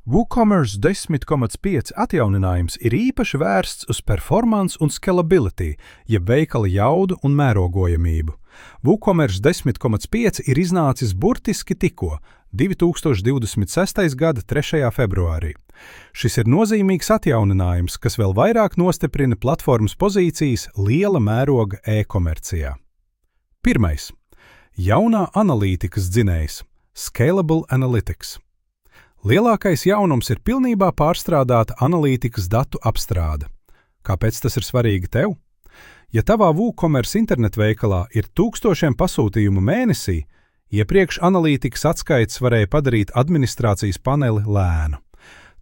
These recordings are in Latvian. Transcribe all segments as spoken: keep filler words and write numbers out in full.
WooCommerce desmit komats pieci atjauninājums ir īpaši vērsts uz performance un scalability, jeb veikala jaudu un mērogojamību. WooCommerce desmit komats pieci ir iznācis burtiski tikko, divi tūkstoši divdesmit sestais gada trešajā februārī. Šis ir nozīmīgs atjauninājums, kas vēl vairāk nostiprina platformas pozīcijas liela mēroga e-komercijā. Pirmais. Jaunā analītikas dzinējs – Scalable Analytics. Lielākais jaunums ir pilnībā pārstrādāta analītikas datu apstrāde. Kāpēc tas ir svarīgi tev? Ja tavā WooCommerce internetveikalā ir tūkstošiem pasūtījumu mēnesī, iepriekš analītikas atskaites varēja padarīt administrācijas paneli lēnu.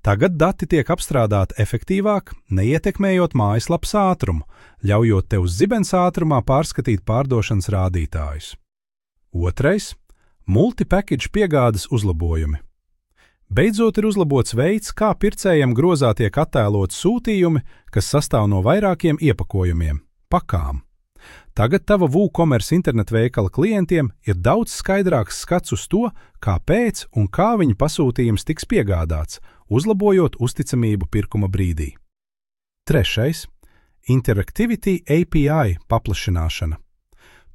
Tagad dati tiek apstrādāti efektīvāk, neietekmējot mājaslapas ātrumu, ļaujot tev uz zibens ātrumā pārskatīt pārdošanas rādītājus. Otrais – multi-package piegādes uzlabojumi. Beidzot ir uzlabots veids, kā pircējam grozā tiek attēlot sūtījumi, kas sastāv no vairākiem iepakojumiem – pakām. Tagad tava WooCommerce internetveikala klientiem ir daudz skaidrāks skats uz to, kāpēc un kā viņa pasūtījums tiks piegādāts, uzlabojot uzticamību pirkuma brīdī. Trešais – Interactivity A P I paplašināšana.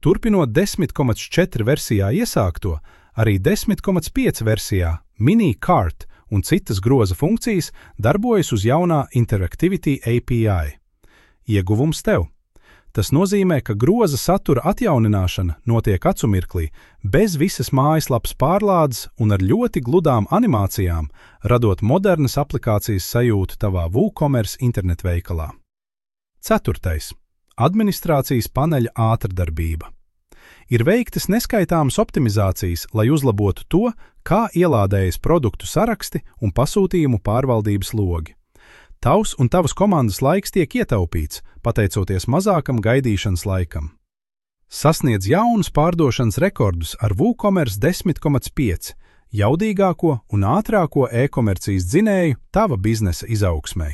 Turpinot desmit komats četri versijā iesākto, arī desmit komats pieci versijā Mini Cart un citas groza funkcijas darbojas uz jaunā Interactivity A P I. Ieguvums tev. Tas nozīmē, ka groza satura atjaunināšana notiek acumirklī, bez visas mājaslapas pārlādes un ar ļoti gludām animācijām, radot modernas aplikācijas sajūtu tavā WooCommerce internetveikalā. Ceturtais. Administrācijas paneļa ātrdarbība. Ir veiktas neskaitāmas optimizācijas, lai uzlabotu to, kā ielādējas produktu saraksti un pasūtījumu pārvaldības logi. Tavs un tavas komandas laiks tiek ietaupīts, pateicoties mazākam gaidīšanas laikam. Sasniedz jaunus pārdošanas rekordus ar WooCommerce desmit komats pieci, jaudīgāko un ātrāko e-komercijas dzinēju tava biznesa izaugsmei.